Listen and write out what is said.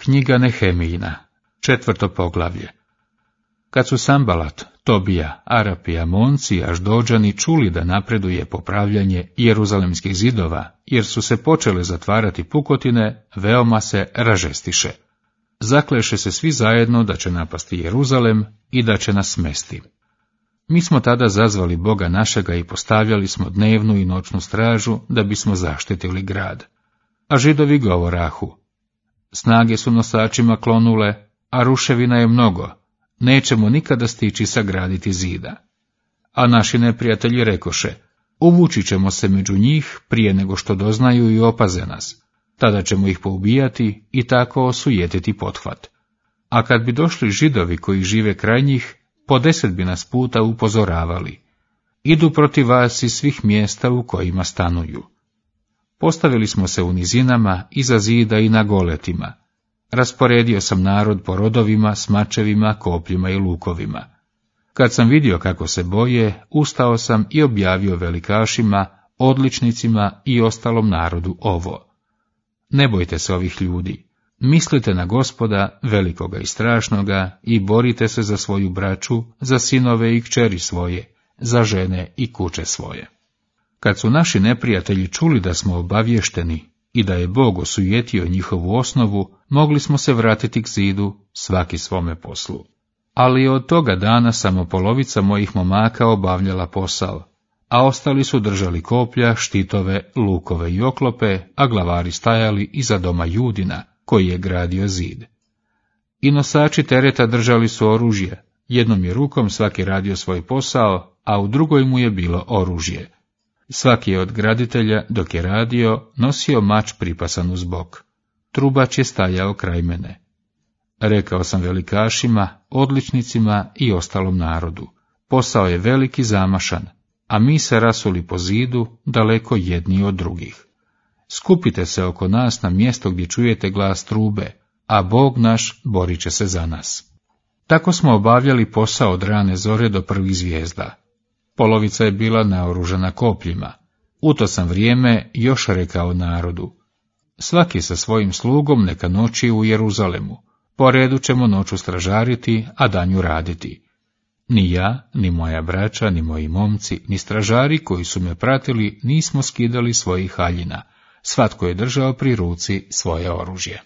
Knjiga Nehemijina, 4. poglavlje. Kad su Sambalat, Tobija, Arapi, Amonci i Aždođani čuli da napreduje popravljanje jeruzalemskih zidova, jer su se počele zatvarati pukotine, veoma se ražestiše. Zakleše se svi zajedno da će napasti Jeruzalem i da će nas smesti. Mi smo tada zazvali Boga našega i postavljali smo dnevnu i noćnu stražu da bismo zaštitili grad. A Židovi govorahu: snage su nosačima klonule, a ruševina je mnogo, nećemo nikada stići sagraditi zida. A naši neprijatelji rekoše: uvući ćemo se među njih prije nego što doznaju i opaze nas, tada ćemo ih poubijati i tako osujetiti pothvat. A kad bi došli Židovi koji žive kraj njih, po 10 bi nas puta upozoravali: idu protiv vas iz svih mjesta u kojima stanuju. Postavili smo se u nizinama, iza zida i na goletima. Rasporedio sam narod po rodovima, s mačevima, kopljima i lukovima. Kad sam vidio kako se boje, ustao sam i objavio velikašima, odličnicima i ostalom narodu ovo: ne bojte se ovih ljudi, mislite na Gospoda, velikoga i strašnoga, i borite se za svoju braću, za sinove i kćeri svoje, za žene i kuće svoje. Kad su naši neprijatelji čuli da smo obavješteni i da je Bog osujetio njihovu osnovu, mogli smo se vratiti k zidu, svaki svome poslu. Ali od toga dana samo polovica mojih momaka obavljala posao, a ostali su držali koplja, štitove, lukove i oklope, a glavari stajali iza doma Judina, koji je gradio zid. I nosači tereta držali su oružje, jednom je rukom svaki radio svoj posao, a u drugoj mu je bilo oružje. Svaki je od graditelja, dok je radio, nosio mač pripasan uz bok. Trubač je stajao kraj mene. Rekao sam velikašima, odličnicima i ostalom narodu: posao je velik i zamašan, a mi se rasuli po zidu, daleko jedni od drugih. Skupite se oko nas na mjesto gdje čujete glas trube, a Bog naš borit će se za nas. Tako smo obavljali posao od rane zore do prvih zvijezda. Polovica je bila naoružana kopljima. U to sam vrijeme još rekao narodu: svaki sa svojim slugom neka noći u Jeruzalemu, po redu ćemo noću stražariti, a danju raditi. Ni ja, ni moja braća, ni moji momci, ni stražari koji su me pratili nismo skidali svojih haljina, svatko je držao pri ruci svoje oružje.